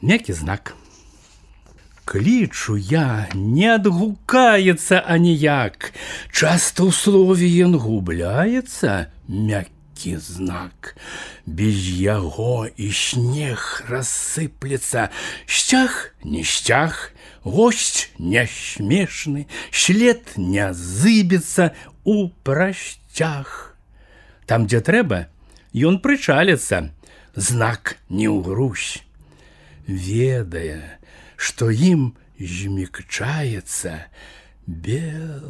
Мяккі знак. Клічу я, не адгукаецца аніяк. Часта ў слове ён губляецца, мяккі знак. Без яго і снег рассыплецца. Сцяг не сцяг, госць не смешны, след не зыбецца у прасцяг. Там, дзе трэба, ён прычаліцца, знак не ўгрусь. Ведае, што ім змякчаецца Беларусь.